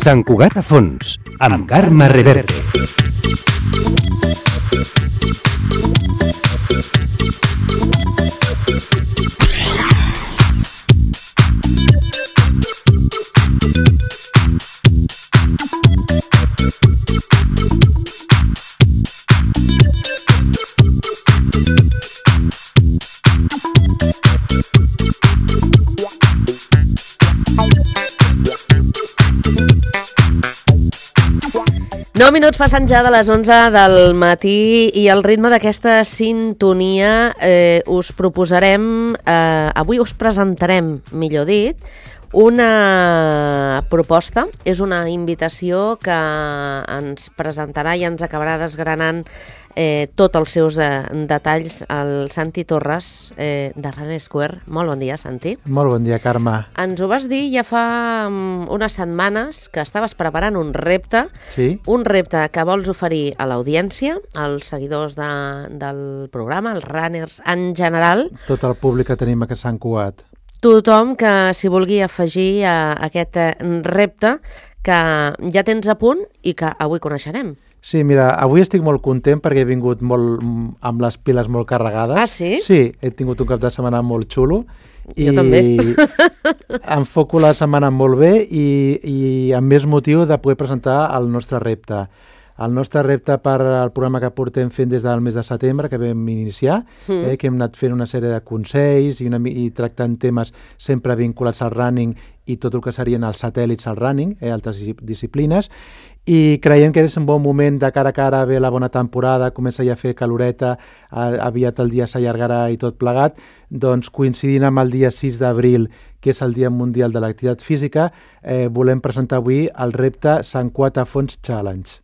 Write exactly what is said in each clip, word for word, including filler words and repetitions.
Sant Cugat a fons, amb Carme Reverte. nou minuts passant ja de les onze del matí i al ritme d'aquesta sintonia eh, us proposarem, eh, avui us presentarem, millor dit, una proposta, és una invitació que ens presentarà i ens acabarà desgranant eh, tots els seus eh, detalls el Santi Torres eh, de Runner Square. Molt bon dia, Santi. Molt bon dia, Carme. Ens ho vas dir ja fa um, unes setmanes que estaves preparant un repte, sí? un repte que vols oferir a l'audiència, als seguidors de, del programa, als runners en general. Tot el públic que tenim a Sant Cugat. Tothom que s'hi vulgui afegir a aquest repte que ja tens a punt i que avui coneixerem. Sí, mira, avui estic molt content perquè he vingut molt, amb les piles molt carregades. Ah, sí? Sí, he tingut un cap de setmana molt xulo. Jo i també. Enfoco la setmana molt bé i, i amb més motiu de poder presentar el nostre repte. El nostre repte per al programa que portem fent des del mes de setembre, que vam iniciar, mm. eh, que hem anat fent una sèrie de consells i, una, i tractant temes sempre vinculats al running i tot el que serien els satèl·lits al running, eh, altres disciplines, i creiem que és un bon moment de cara a cara, ve la bona temporada, comença ja a fer caloreta, aviat el dia s'allargarà i tot plegat, doncs coincidint amb el dia sis d'abril, que és el Dia Mundial de l'Activitat Física, eh, volem presentar avui el repte Sant Cugat a fons Challenge.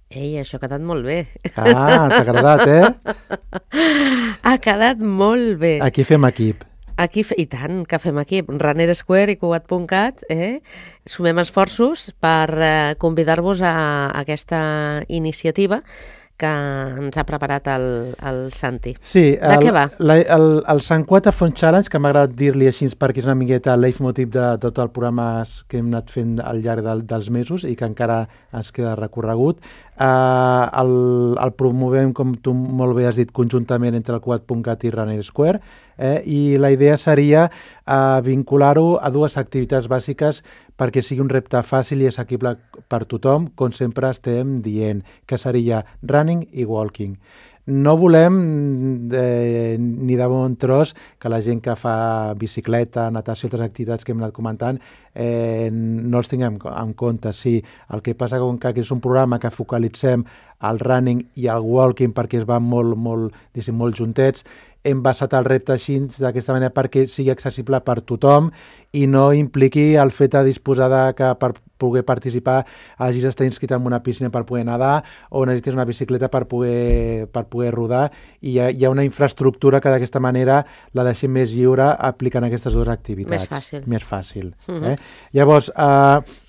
Ei, això ha quedat molt bé. Ah, t'ha agradat, eh? Ha quedat molt bé. Aquí fem equip. Aquí, I tant, que fem equip. Runner Square i Cugat punt cat, eh? Sumem esforços per eh, convidar-vos a, a aquesta iniciativa que ens ha preparat el, el Santi. Sí, de el, què va? La, el, el Sant Cugat a fons Challenge, que m'ha agradat dir-li així perquè és una miqueta el leitmotiv de tot el programa que hem anat fent al llarg del, dels mesos i que encara ens queda recorregut. Uh, el, el promovem, com tu molt bé has dit, conjuntament entre el Cugat punt cat i Runner Square, eh? I la idea seria uh, vincular-ho a dues activitats bàsiques perquè sigui un repte fàcil i assequible per tothom, com sempre estem dient, que seria running i walking. No volem eh, ni de bon tros que la gent que fa bicicleta, natació i altres activitats que hem anat comentant eh, no els tinguem en compte. Sí, el que passa com que és un programa que focalitzem el running i el walking perquè es van molt, molt, diguéssim, molt juntets, hem basat el repte així d'aquesta manera perquè sigui accessible per tothom i no impliqui el fet de disposar de que per poder participar hagis d'estar inscrit en una piscina per poder nedar o necessites una bicicleta per poder, per poder rodar i hi ha, hi ha una infraestructura que d'aquesta manera la deixem més lliure aplicant aquestes dues activitats. Més fàcil. Més fàcil. Uh-huh. eh? Llavors, eh,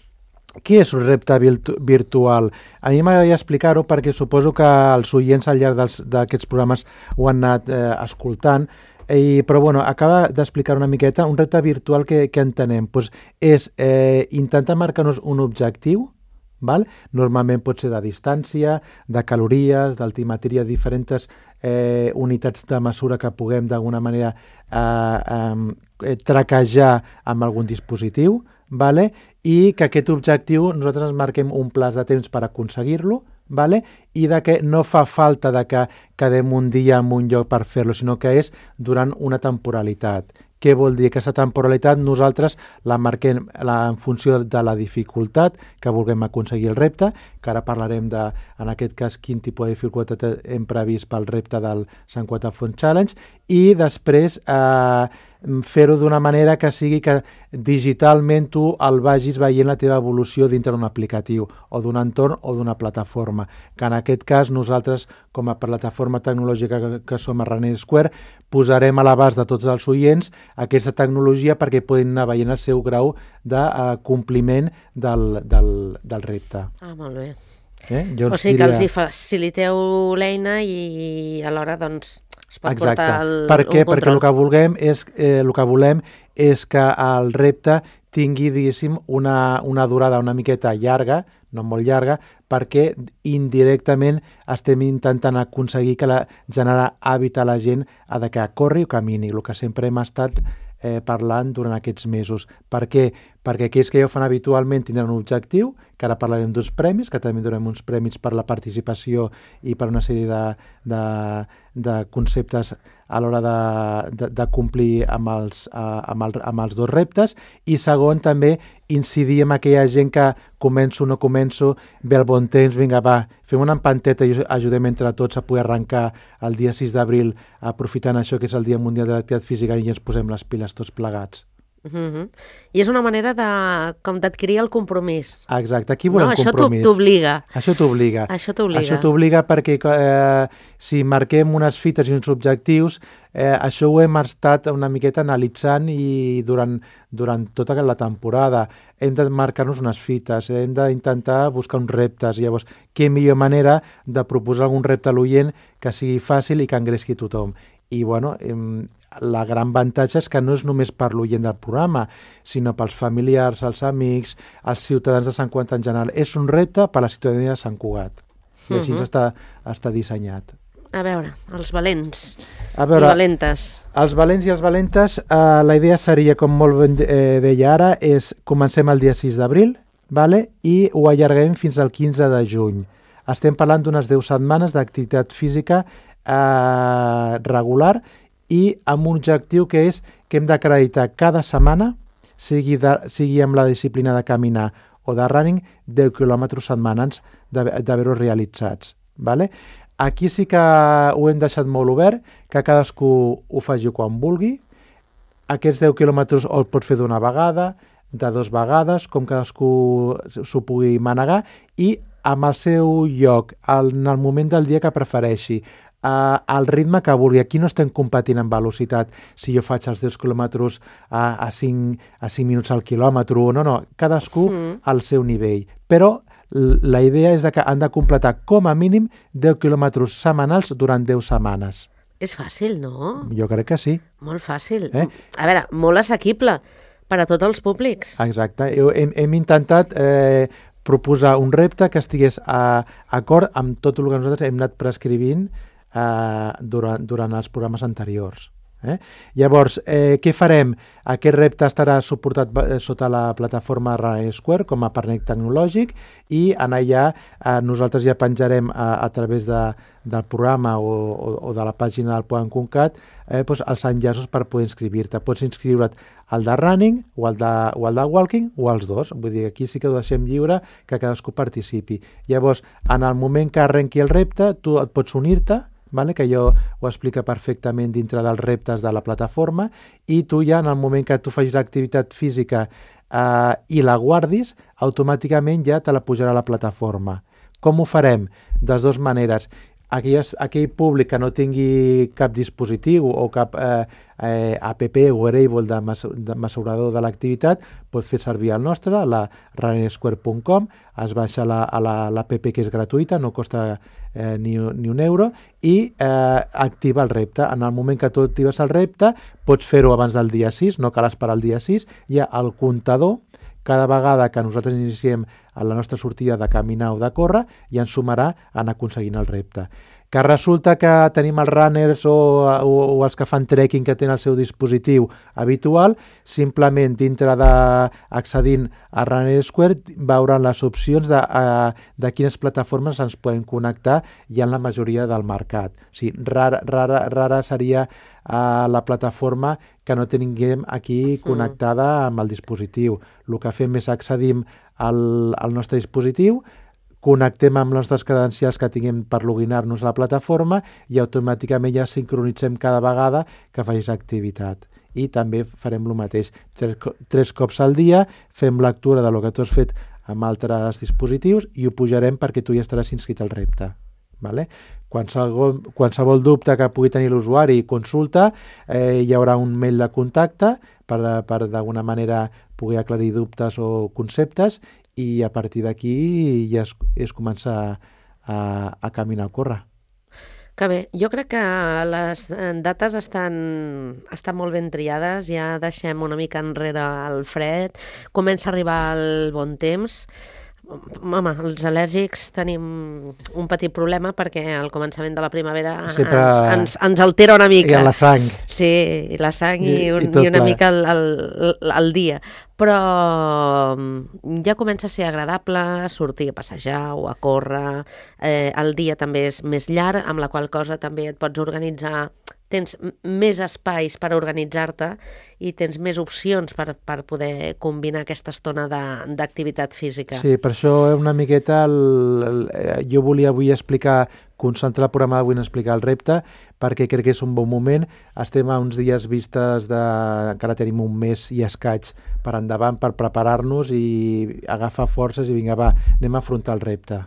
què és un repte virtu- virtual? A mi m'agradaria explicar-ho perquè suposo que els oients al llarg dels, d'aquests programes ho han anat eh, escoltant, I, però bueno, acaba d'explicar una miqueta un repte virtual que, que entenem. Pues és eh, intentar marcar-nos un objectiu, val? Normalment pot ser de distància, de calories, d'altimetria, diferents eh, unitats de mesura que puguem d'alguna manera eh, eh, traquejar amb algun dispositiu, vale? I que aquest objectiu nosaltres ens marquem un plaç de temps per aconseguir-lo, vale? I de que no fa falta de que quedem un dia en un lloc per fer-lo, sinó que és durant una temporalitat. Què vol dir? Aquesta temporalitat nosaltres la marquem la, en funció de la dificultat que vulguem aconseguir el repte, que ara parlarem de, en aquest cas, quin tipus de dificultat hem previst pel repte del Sant Cugat a fons Challenge, i després eh, fer-ho d'una manera que sigui que digitalment tu el vagis veient la teva evolució dintre d'un aplicatiu o d'un entorn o d'una plataforma, que en aquest cas nosaltres, com a plataforma tecnològica que, que som a Runner Square, posarem a l'abast de tots els oients aquesta tecnologia perquè puguin anar veient el seu grau de uh, compliment del, del, del repte. Ah, molt bé. Eh? Jo o sigui diria... que els hi faciliteu l'eina i alhora doncs, es pot Exacte. portar el, per què? un control. Perquè el que, vulguem és, eh, el que volem és que el repte tingui, diguéssim, una, una durada una miqueta llarga, no molt llarga, perquè indirectament estem intentant aconseguir que la, generar hàbit a la gent a de que corri o camini, el que sempre hem estat eh, parlant durant aquests mesos. Per què? Perquè aquells que ja ho fan habitualment tindran un objectiu, que ara parlarem d'uns premis, que també donem uns premis per la participació i per una sèrie de, de, de conceptes a l'hora de, de, de complir amb els, amb, el, amb els dos reptes, i segon també incidir en aquella gent que començo o no començo, ve el bon temps, vinga va, fem una empanteta i ajudem entre tots a poder arrencar el dia sis d'abril aprofitant això que és el Dia Mundial de l'Activitat Física i ens posem les piles tots plegats. Uh-huh. I és una manera de, com d'adquirir el compromís. Exacte, aquí volem no, això compromís. Això t'obliga. Això t'obliga. Això t'obliga. Això t'obliga perquè eh, si marquem unes fites i uns objectius, eh, això ho hem estat una miqueta analitzant i durant, durant tota la temporada hem de marcar-nos unes fites, hem d'intentar buscar uns reptes. Llavors, què millor manera de proposar algun repte a l'oient que sigui fàcil i que engresqui tothom. I, bueno, hem, la gran avantatge és que no és només per l'oient del programa, sinó pels familiars, els amics, els ciutadans de Sant Cugat en general. És un repte per a la ciutadania de Sant Cugat. I així uh-huh. està, està dissenyat. A veure, els valents a veure, i valentes. Els valents i els valentes, eh, la idea seria, com molt ben eh, deia ara, és comencem el dia sis d'abril, vale? I ho allarguem fins al quinze de juny. Estem parlant d'unes deu setmanes d'activitat física eh, regular i amb un objectiu que és que hem d'acreditar cada setmana, sigui, de, sigui amb la disciplina de caminar o de running, deu quilòmetres setmanals d'haver-ho realitzats. Vale? Aquí sí que ho hem deixat molt obert, que cadascú ho faci quan vulgui. Aquests deu quilòmetres el pot fer d'una vegada, de dues vegades, com cadascú s'ho pugui manegar, i amb el seu lloc, en el moment del dia que prefereixi, Uh, al ritme que vulgui. Aquí no estem competint en velocitat, si jo faig els deu quilòmetres a, a, cinc, a cinc minuts al quilòmetre, no, no, cadascú mm. al seu nivell. Però la idea és de que han de completar com a mínim deu quilòmetres setmanals durant deu setmanes. És fàcil, no? Jo crec que sí. Molt fàcil. Eh? A veure, molt assequible per a tots els públics. Exacte. Hem, hem intentat eh, proposar un repte que estigués a, a acord amb tot el que nosaltres hem anat prescrivint Uh, durant, durant els programes anteriors. Eh? Llavors, eh, què farem? Aquest repte estarà suportat eh, sota la plataforma Running Square com a partner tecnològic i en allà eh, nosaltres ja penjarem a, a través de, del programa o, o, o de la pàgina del Puan Concat eh, doncs els enllaços per poder inscriure-te. Pots inscriure't al de running o al de, o al de walking o als dos. Vull dir, aquí sí que ho deixem lliure que cadascú participi. Llavors, en el moment que arrenqui el repte, tu et pots unir-te, vale? Que jo ho explica perfectament dintre dels reptes de la plataforma i tu ja en el moment que tu facis l'activitat física eh, i la guardis, automàticament ja te la pujarà a la plataforma. Com ho farem? De dues maneres. Aquelles, aquell públic que no tingui cap dispositiu o cap eh, eh, app o wearable de, mesur, de mesurador de l'activitat pot fer servir el nostre, la running square punt com, es baixa la, a la, l'app que és gratuïta, no costa eh, ni, ni un euro i eh, activa el repte. En el moment que tu actives el repte pots fer-ho abans del dia sis, no cal esperar el dia sis, hi ha el comptador. Cada vegada que nosaltres iniciem a la nostra sortida de caminar o de córrer i ens sumarà en aconseguint el repte. Que resulta que tenim els runners o, o, o els que fan trekking que tenen el seu dispositiu habitual, simplement dintre d'accedint a Running Square veuran les opcions de, de quines plataformes ens podem connectar i en la majoria del mercat. O sigui, rara, rara, rara seria uh, la plataforma que no tinguem aquí connectada amb el dispositiu. El que fem és accedim al, al nostre dispositiu, connectem amb les nostres credencials que tinguem per loginar-nos a la plataforma i automàticament ja sincronitzem cada vegada que facis activitat. I també farem el mateix. Tres, tres cops al dia fem lectura de lo que tu has fet amb altres dispositius i ho pujarem perquè tu ja estaràs inscrit al repte. Vale? Qualsevol, qualsevol dubte que pugui tenir l'usuari i consulta, eh, hi haurà un mail de contacte per, per d'alguna manera poder aclarir dubtes o conceptes i a partir d'aquí ja es, es comença a, a caminar o córrer. Que bé, jo crec que les dates estan, estan molt ben triades, ja deixem una mica enrere el fred, comença a arribar el bon temps. Home, els al·lèrgics tenim un petit problema perquè al començament de la primavera Sempre... ens, ens, ens altera una mica. I la sang. Sí, i la sang i, I, un, i, i una la... mica el, el, el dia. Però ja comença a ser agradable sortir a passejar o a córrer. Eh, el dia també és més llarg, amb la qual cosa també et pots organitzar, tens més espais per organitzar-te i tens més opcions per, per poder combinar aquesta estona d'activitat física. Sí, per això una miqueta el, el, jo volia avui explicar, concentrar el programa d'avui en explicar el repte, perquè crec que és un bon moment. Estem a uns dies vistes de... encara tenim un mes i escaig per endavant per preparar-nos i agafar forces i vinga, va, anem a afrontar el repte.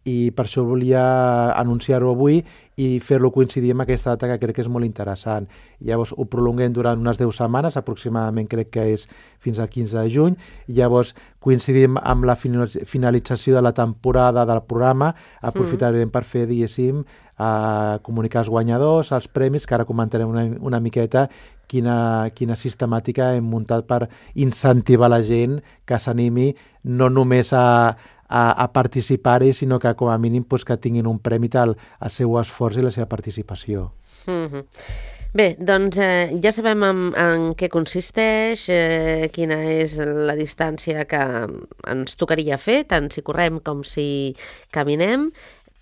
I per això volia anunciar-ho avui i fer-lo coincidir amb aquesta data que crec que és molt interessant. Llavors ho prolonguem durant unes deu setmanes, aproximadament crec que és fins al quinze de juny, i llavors coincidim amb la finalització de la temporada del programa, aprofitarem mm. per fer, diguéssim, a comunicar els guanyadors, els premis, que ara comentarem una, una miqueta quina, quina sistemàtica hem muntat per incentivar la gent que s'animi no només a a, a participar-hi, sinó que com a mínim pues, que tinguin un premi al, al seu esforç i la seva participació. Mm-hmm. Bé, doncs eh, ja sabem en, en què consisteix, eh, quina és la distància que ens tocaria fer, tant si correm com si caminem.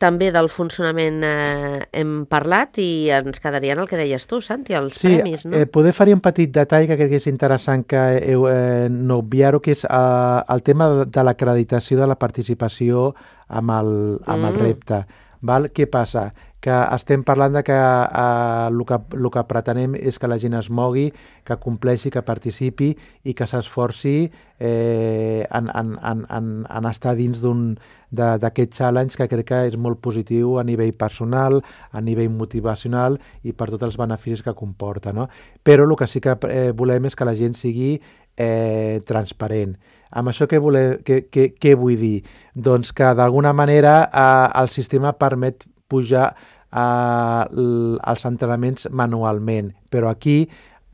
També del funcionament eh, hem parlat i ens quedarien el que deies tu, Santi, els sí, premis, no? Sí, eh, poder fer-hi un petit detall que crec que és interessant que heu, eh, no obviar-ho, que és eh, el tema de l'acreditació de la participació amb el, amb mm. el repte. Val? Què passa? Que estem parlant de que eh, el, que el que pretenem és que la gent es mogui, que compleixi, que participi i que s'esforci eh, en, en, en, en, en estar dins d'un d'aquest challenge que crec que és molt positiu a nivell personal, a nivell motivacional i per tots els beneficis que comporta, no? Però el que sí que eh, volem és que la gent sigui eh, transparent. Amb això què, volem, què, què, què vull dir? Doncs que d'alguna manera eh, el sistema permet pujar eh, els entrenaments manualment, però aquí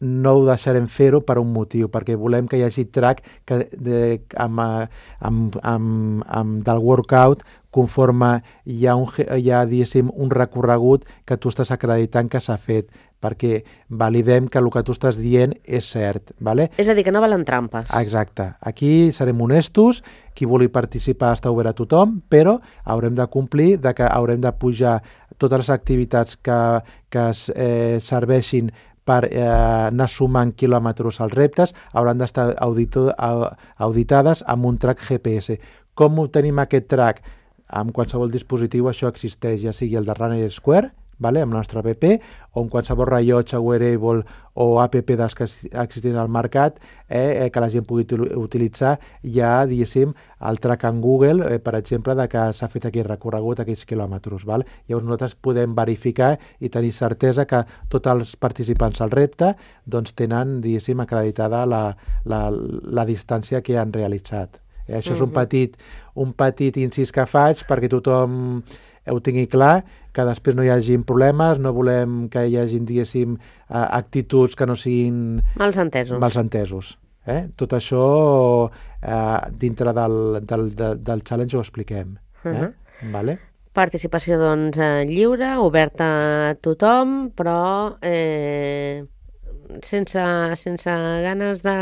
no ho deixarem fer-ho per un motiu, perquè volem que hi hagi track que, de, amb, amb, amb, amb del workout conforme hi ha, un, hi ha un recorregut que tu estàs acreditant que s'ha fet, perquè validem que el que tu estàs dient és cert. Vale? És a dir, que no valen trampes. Exacte. Aquí serem honestos, qui vulgui participar està obert a tothom, però haurem de complir de que haurem de pujar totes les activitats que, que eh, serveixin per eh, anar sumant quilòmetres als reptes, hauran d'estar auditades amb un track G P S. Com obtenim aquest track? Amb qualsevol dispositiu això existeix, ja sigui el de Runner Square, vale? Amb la nostra app, o amb qualsevol rellotge, wearable o app dels que existeixen al mercat, eh, eh, que la gent pugui utilitzar, ja, diguéssim, el track en Google, eh, per exemple, de que s'ha fet aquell recorregut, aquells quilòmetres. Val? Llavors nosaltres podem verificar i tenir certesa que tots els participants al repte doncs, tenen, diguéssim, acreditada la, la, la distància que han realitzat. Eh, això mm-hmm. és un petit, un petit incís que faig perquè tothom ho tingui clar, que després no hi hagi problemes, no volem que hi hagi, diguéssim, actituds que no siguin... Malsentesos. Malsentesos. Eh? Tot això eh, dintre del, del, del, del challenge ho expliquem. Eh? Uh-huh. Vale? Participació, doncs, lliure, oberta a tothom, però... Eh... Sense, sense ganes de...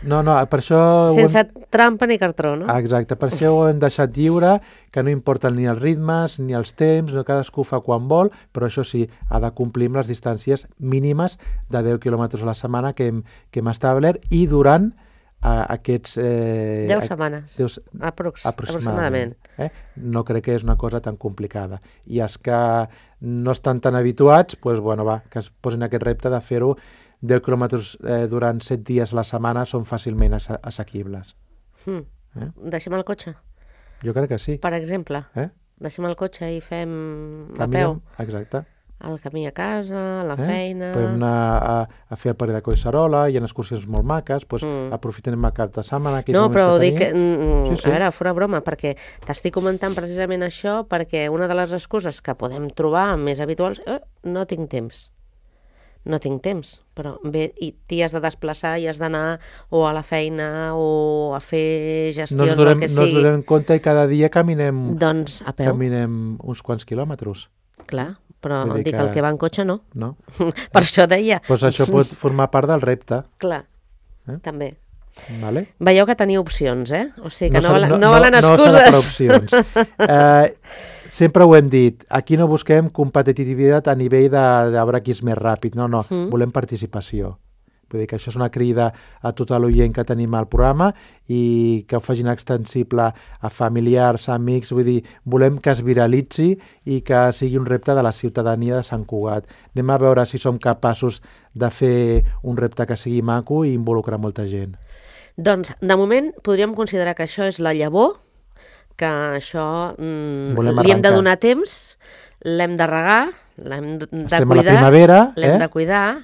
No, no, per això... Sense hem... trampa ni cartró, no? Exacte, per això ho hem deixat lliure, que no importen ni els ritmes ni els temps, no, cadascú fa quan vol, però això sí, ha de complir amb les distàncies mínimes de deu quilòmetres a la setmana que hem, que hem establert i durant a, aquests... Eh, deu setmanes, deu, Aprox, aproximadament. aproximadament. Eh? No crec que és una cosa tan complicada. I els que no estan tan habituats, pues, bueno, va, que es posin aquest repte de fer-ho deu quilòmetres eh, durant set dies a la setmana són fàcilment ass assequibles. Hmm. Eh? Deixem el cotxe? Jo crec que sí. Per exemple, eh? deixem el cotxe i fem Caminem, a peu. Exacte. Al camí a casa, a la eh? feina... Podem anar a, a fer el parell de Collserola, hi ha excursions molt maques, doncs Mm. aprofitem el cap de setmana... aquells No, moments però que dic, tenim. mm, Sí, sí. a veure, fora broma, perquè t'estic comentant precisament això perquè una de les excuses que podem trobar més habituals, eh, no tinc temps. No tinc temps, però bé, i t'hi has de desplaçar i has d'anar o a la feina o a fer gestions No ens o el donem, que no ens sigui. donem compte i cada dia caminem, Doncs a peu, caminem uns quants quilòmetres, clar, però Vull dir dic, que- el que va en cotxe no. no? Per això deia. Doncs això pot formar part del repte, Clar, Eh? també. vale? Veieu que teniu opcions, eh? O sigui que no, s'ha- valen, no, valen No s'ha de excuses. per opcions. Eh, sempre ho hem dit, aquí no busquem competitivitat a nivell de, de veure qui és més ràpid, no, no, Mm. volem participació. Vull dir que això és una crida a tota l'oient que tenim al programa i que ho facin extensible a familiars, a amics, vull dir, volem que es viralitzi i que sigui un repte de la ciutadania de Sant Cugat. Anem a veure si som capaços de fer un repte que sigui maco i involucrar molta gent. Doncs, de moment, podríem considerar que això és la llavor, que això mm, Volem li hem de arrencar. donar temps, l'hem de regar, l'hem de, de Estem a la cuidar, primavera, l'hem eh? de cuidar,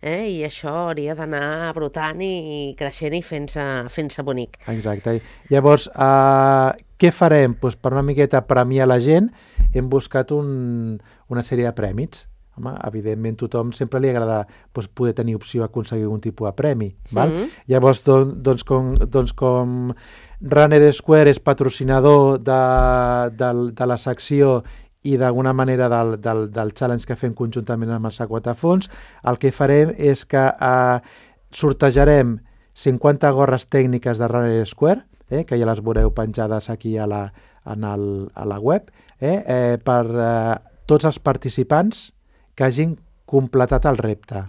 eh? I això hauria d'anar brotant i creixent i fent-se fent-se bonic. Exacte. Llavors, uh, què farem? Pues per una miqueta premiar la gent, hem buscat un, una sèrie de prèmits. Home, evidentment, tothom sempre li agrada pues, poder tenir opció a aconseguir un tipus de premi. Val? Mhm. Llavors, don, doncs, com, doncs, com Runner Square és patrocinador de, de, de la secció i d'alguna manera del, del, del challenge que fem conjuntament amb els Aquatafons, el que farem és que eh, sortejarem cinquanta gorres tècniques de Runner Square, eh, que ja les veureu penjades aquí a la, en el, a la web, eh, eh, per eh, tots els participants que hagin completat el repte.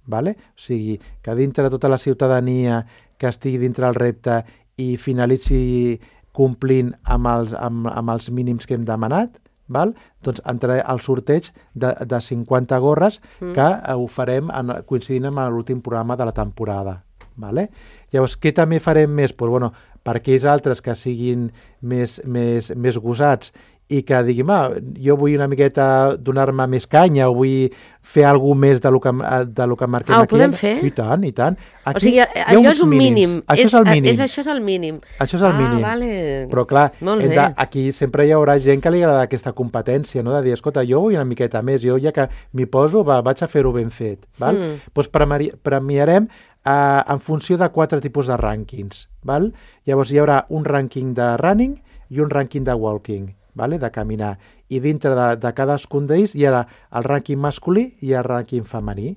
Vale? O sigui, que dintre de tota la ciutadania que estigui dintre del repte i finalitzi complint amb els, amb, amb els mínims que hem demanat, val? Doncs entrarà al sorteig de, de cinquanta gorres mm. que ho farem en, coincidint amb l'últim programa de la temporada. Vale? Llavors, què també farem més? Pues, bueno, per aquells altres que siguin més, més, més gosats i que diguin, ah, jo vull una miqueta donar-me més canya o vull fer alguna més de lo que, de lo que marquem Ah, ho aquí. podem fer? I tant, i tant. Aquí O sigui, hi ha allò uns és un mínims. mínim. Això és, el mínim. És, això és el mínim. Això és el ah, mínim. Vale. Però clar, Molt hem bé. de, aquí sempre hi haurà gent que li agrada aquesta competència, no? De dir, escolta, jo vull una miqueta més, jo ja que m'hi poso, va, vaig a fer-ho ben fet. Val? Mm. Doncs premiari, premiarem eh, en funció de quatre tipus de rànquings. Val? Llavors hi haurà un rànquing de running i un rànquing de walking, vale? De caminar. I dintre de, de cadascun d'ells hi haurà el rànquing masculí i el rànquing femení.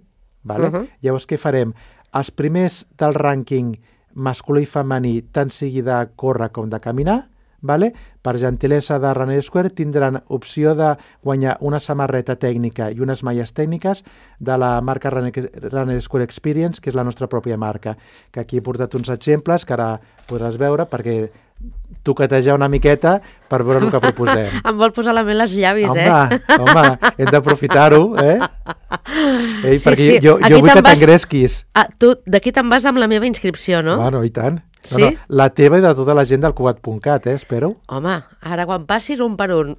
Vale? Uh-huh. Llavors què farem? Els primers del rànquing masculí i femení, tant sigui de córrer com de caminar, vale? Per gentilesa de Runner Square tindran opció de guanyar una samarreta tècnica i unes malles tècniques de la marca Runner, Runner Square Experience, que és la nostra pròpia marca, que aquí he portat uns exemples que ara podràs veure perquè toquetejar una miqueta per veure el que proposem. Em vol posar la mel als llavis, home, eh? home, hem d'aprofitar-ho, eh? Ei, Sí, perquè sí. jo, Aquí jo vull te'n que vas- t'engresquis. Ah, tu d'aquí te'n vas amb la meva inscripció, no? Bueno, i tant. No, Sí? no, la teva i de tota la gent del cugat punt cat, eh? Espero. Home, ara quan passis un per un.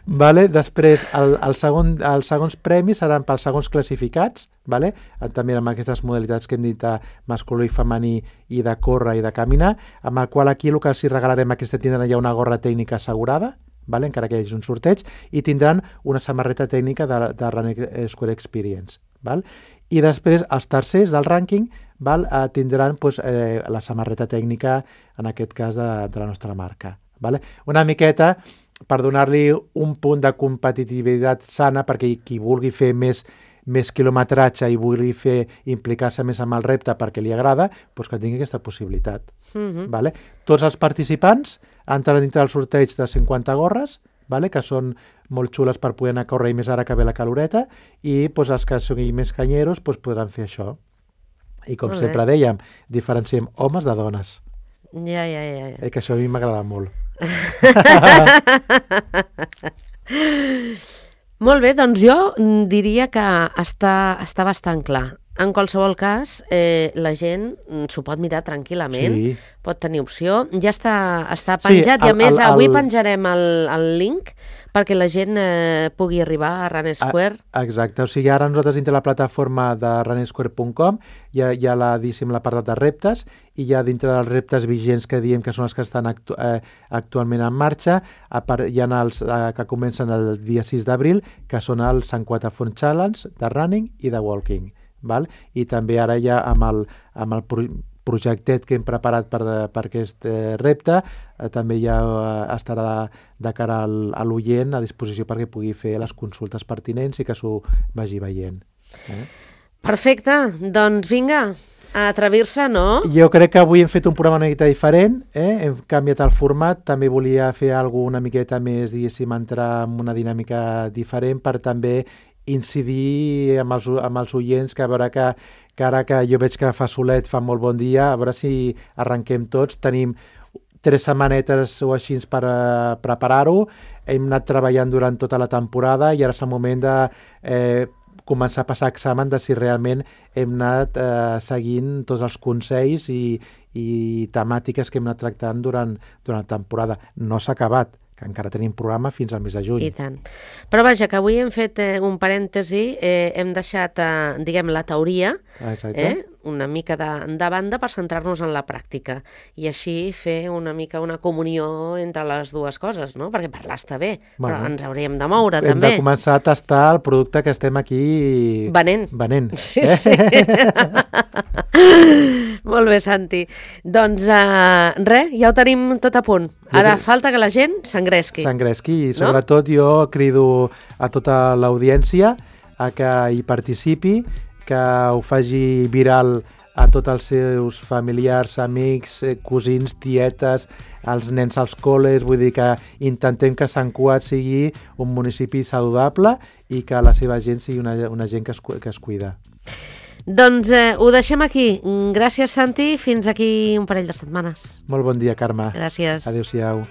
Vale? Després, el, el segon, els segons premis seran pels segons classificats, vale? També amb aquestes modalitats que hem dit de masculí i femení i de córrer i de caminar, amb el qual aquí el que els regalarem aquesta tindran ja una gorra tècnica assegurada, vale? Encara que hi hagi un sorteig, i tindran una samarreta tècnica de, de Runner Square Experience. Val? I després, els tercers del rànquing val? Eh, tindran pues, eh, la samarreta tècnica, en aquest cas, de, de la nostra marca. Vale? Una miqueta per donar-li un punt de competitivitat sana perquè qui vulgui fer més, més quilometratge i vulgui fer implicar-se més amb el repte perquè li agrada, doncs que tingui aquesta possibilitat. Mhm. Vale? Tots els participants entren dintre del sorteig de cinquanta gorres, vale? Que són molt xules per poder anar a córrer i més ara que ve la caloreta, i doncs, els que siguin més canyeros doncs, podran fer això. I com Molt sempre bé. dèiem, diferenciem homes de dones, Ja, ja, ja. ja. eh? Que això a mi m'agrada molt. Molt bé, doncs jo mm, diria que està, està bastant clar. En qualsevol cas, eh, la gent s'ho pot mirar tranquil·lament, Sí. pot tenir opció. Ja està, està penjat Sí, i a el- més el- avui el- penjarem el, el link perquè la gent eh, pugui arribar a Run Square. Ah, exacte, o sigui, ara nosaltres dintre la plataforma de run square punt com hi ha, hi ha la, diguéssim, l'apartat de reptes i hi ha dintre dels reptes vigents que diem que són els que estan actu eh, actualment en marxa, a part, hi ha els eh, que comencen el dia sis d'abril, que són el Sant Quatafont Challenge de Running i de Walking. Val? I també ara ja amb el, amb el pro projectet que hem preparat per, per aquest eh, repte, eh, també ja eh, estarà de, de cara al, a l'oient a disposició perquè pugui fer les consultes pertinents i que s'ho vagi veient. Eh? Perfecte, doncs vinga, a atrevir-se, no? Jo crec que avui hem fet un programa una miqueta diferent, eh? Hem canviat el format, també volia fer alguna una miqueta més, diguéssim, entrar en una dinàmica diferent per també incidir amb els, amb els oients, que a veure que, que ara que jo veig que fa solet, fa molt bon dia, a veure si arrenquem tots. Tenim tres setmanetes o així per uh, preparar-ho, hem anat treballant durant tota la temporada i ara és el moment de eh, començar a passar examen de si realment hem anat eh, seguint tots els consells i, i temàtiques que hem anat tractant durant, durant la temporada. No s'ha acabat, que encara tenim programa fins al mes de juny. I tant. Però vaja, que avui hem fet eh, un parèntesi, eh, hem deixat, eh, diguem, la teoria, eh, una mica de, de banda per centrar-nos en la pràctica i així fer una mica una comunió entre les dues coses, no? Perquè parlar està bé, bueno, però ens hauríem de moure, hem també. Hem de començar a tastar el producte que estem aquí... Venent. Venent. Sí, eh? sí. Molt bé, Santi. Doncs uh, res, ja ho tenim tot a punt. Ara jo... falta que la gent s'engresqui. S'engresqui i sobretot no? Jo crido a tota l'audiència a que hi participi, que ho faci viral a tots els seus familiars, amics, cosins, tietes, els nens als col·les, vull dir que intentem que Sant Cugat sigui un municipi saludable i que la seva gent sigui una, una gent que es, que es cuida. Doncs eh, ho deixem aquí. Gràcies, Santi. Fins aquí un parell de setmanes. Molt bon dia, Carme. Gràcies. Adéu-siau.